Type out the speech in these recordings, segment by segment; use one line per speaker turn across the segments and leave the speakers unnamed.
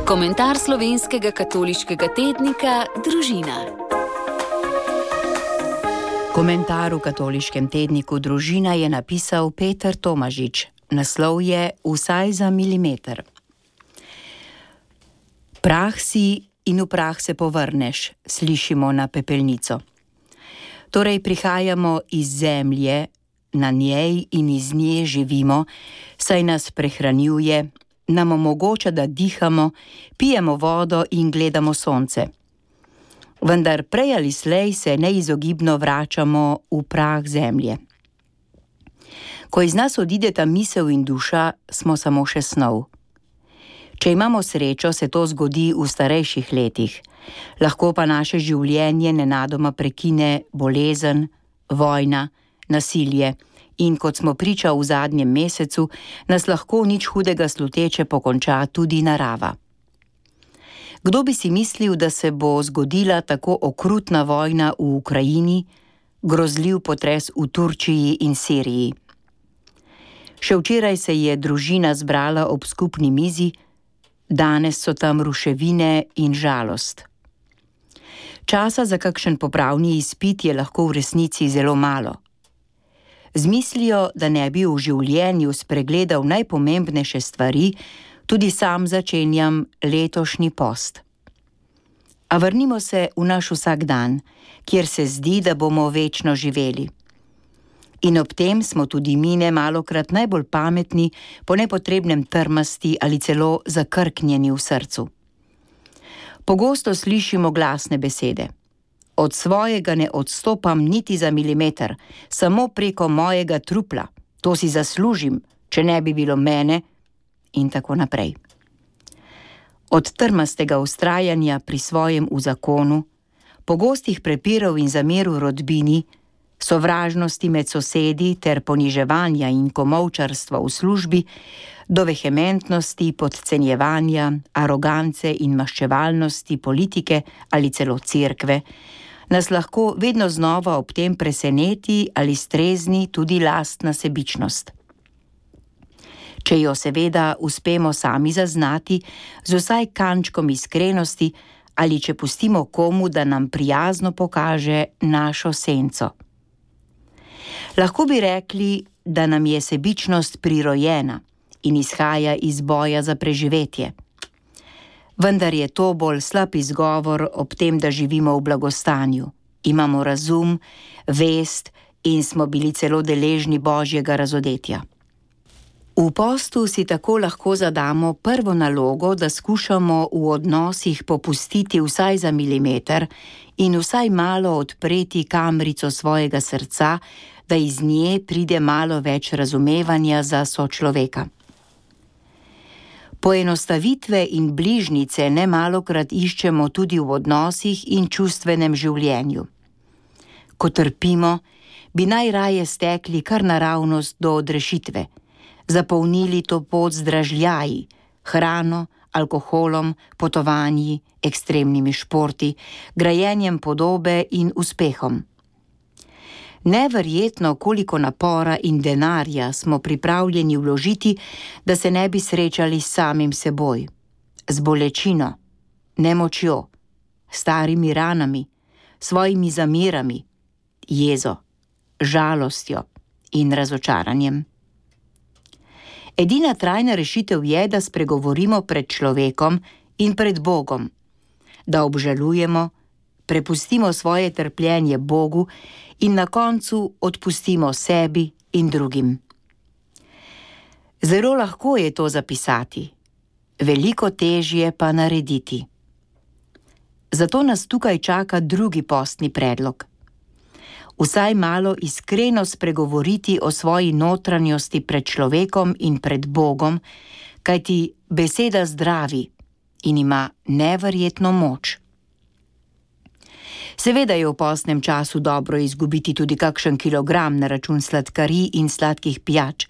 Komentar slovenskega katoliškega tednika Družina.
Komentar v katoliškem tedniku Družina je napisal Peter Tomažič. Naslov je Vsaj za milimeter. Prah si in v prah se povrneš, slišimo na pepelnico. Torej prihajamo iz zemlje, na njej in iz nje živimo, saj nas prehranjuje, nam omogoča, da dihamo, pijemo vodo in gledamo sonce. Vendar prej ali slej se neizogibno vračamo v prah zemlje. Ko iz nas odideta misel in duša, smo samo še snov. Če imamo srečo, se to zgodi v starejših letih. Lahko pa naše življenje nenadoma prekine bolezen, vojna, nasilje in, kot smo priča v zadnjem mesecu, nas lahko nič hudega sluteče pokonča tudi narava. Kdo bi si mislil, da se bo zgodila tako okrutna vojna v Ukrajini, grozljiv potres v Turčiji in Siriji? Še včeraj se je družina zbrala ob skupni mizi, danes so tam ruševine in žalost. Časa za kakšen popravni izpit je lahko v resnici zelo malo. Z mislijo, da ne bi v življenju spregledal najpomembnejše stvari, tudi sam začenjam letošnji post. A vrnimo se v naš vsakdan, kjer se zdi, da bomo večno živeli. In ob tem smo tudi mi nemalokrat najbolj pametni, po nepotrebnem trmasti ali celo zakrknjeni v srcu. Pogosto slišimo glasne besede. Od svojega ne odstopam niti za milimeter, samo preko mojega trupla. To si zaslužim, če ne bi bilo mene, in tako naprej. Od trmastega vztrajanja pri svojem v zakonu, pogostih prepirov in zamer v rodbini, sovražnosti med sosedi ter poniževanja in komolčarstva v službi, do vehementnosti, podcenjevanja, arogance in maščevalnosti politike ali celo cerkve, nas lahko vedno znova ob tem preseneti ali strezni tudi lastna sebičnost. Če jo seveda uspemo sami zaznati z vsaj kančkom iskrenosti ali če pustimo komu, da nam prijazno pokaže našo senco. Lahko bi rekli, da nam je sebičnost prirojena in izhaja iz boja za preživetje. Vendar je to bolj slab izgovor ob tem, da živimo v blagostanju. Imamo razum, vest in smo bili celo deležni božjega razodetja. V postu si tako lahko zadamo prvo nalogo, da skušamo v odnosih popustiti vsaj za milimeter in vsaj malo odpreti kamrico svojega srca, da iz nje pride malo več razumevanja za sočloveka. Poenostavitve in bližnjice nemalokrat iščemo tudi v odnosih in čustvenem življenju. Ko trpimo, bi najraje stekli kar naravnost do odrešitve, zapolnili to pot z dražljaji, hrano, alkoholom, potovanji, ekstremnimi športi, grajenjem podobe in uspehom. Neverjetno, koliko napora in denarja smo pripravljeni vložiti, da se ne bi srečali s samim seboj, z bolečino, nemočjo, starimi ranami, svojimi zamerami, jezo, žalostjo in razočaranjem. Edina trajna rešitev je, da spregovorimo pred človekom in pred Bogom, da obžalujemo, prepustimo svoje trpljenje Bogu in na koncu odpustimo sebi in drugim. Zelo lahko je to zapisati, veliko težje pa narediti. Zato nas tukaj čaka drugi postni predlog. Vsaj malo iskreno spregovoriti o svoji notranjosti pred človekom in pred Bogom, kajti beseda zdravi in ima neverjetno moč. Seveda je v postnem času dobro izgubiti tudi kakšen kilogram na račun sladkarij in sladkih pijač,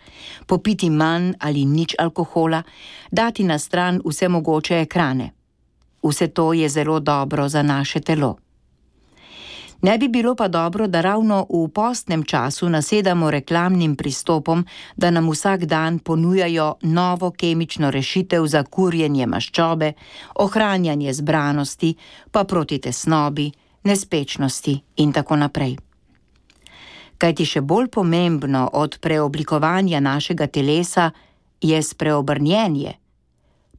popiti manj ali nič alkohola, dati na stran vse mogoče ekrane. Vse to je zelo dobro za naše telo. Ne bi bilo pa dobro, da ravno v postnem času nasedamo reklamnim pristopom, da nam vsak dan ponujajo novo kemično rešitev za kurjenje maščobe, ohranjanje zbranosti, pa proti tesnobi, nespečnosti in tako naprej. Kajti še bolj pomembno od preoblikovanja našega telesa je spreobrnjenje,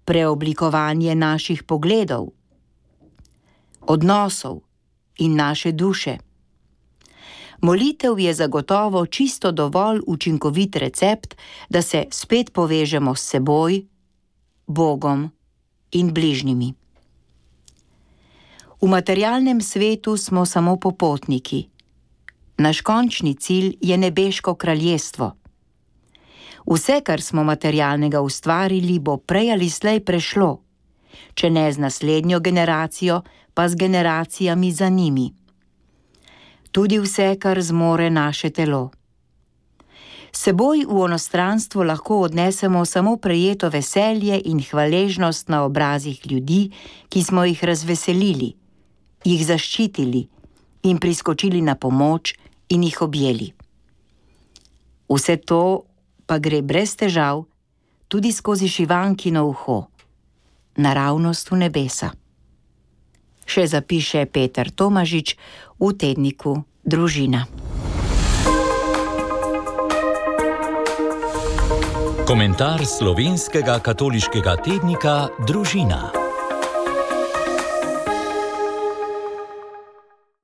preoblikovanje naših pogledov, odnosov in naše duše. Molitev je zagotovo čisto dovolj učinkovit recept, da se spet povežemo s seboj, Bogom in bližnjimi. V materialnem svetu smo samo popotniki. Naš končni cilj je nebeško kraljestvo. Vse, kar smo materialnega ustvarili, bo prej ali slej prešlo, če ne z naslednjo generacijo, pa z generacijami za njimi. Tudi vse, kar zmore naše telo. Seboj v onostranstvo lahko odnesemo samo prejeto veselje in hvaležnost na obrazih ljudi, ki smo jih razveselili, jih zaščitili in priskočili na pomoč in jih objeli. Vse to pa gre brez težav tudi skozi šivankino uho, naravnost v nebesa. Še zapiše Peter Tomažič v tedniku Družina.
Komentar slovenskega katoliškega tednika Družina.